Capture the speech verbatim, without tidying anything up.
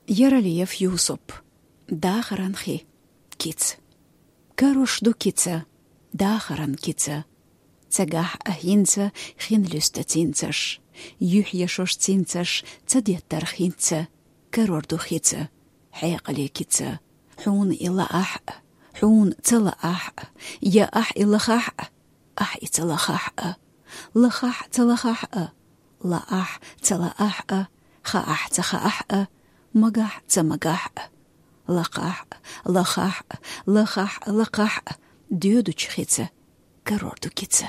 Яралиев Юсуп. Дахаран хи. Кица. Карош ду кица. Дахаран кица. Цагахь а хӀинца хин луьста цинцаш. Юьхь я шош цинцаш ца деттар хинца. Карор ду хица. Хьекъале кица. Хьуна и лаахь а, хьуна ца лаахь а, я ахь и лахахь а, ахь и ца лахахь а, лахахь ца лахахь а, лаахь ца лаахь а, хаахь ца хаахь а, магахь ца магахь а, лакхахь а, лахахь а, лахахь а, лакхахь а, доьдучу хица, карор ду кица.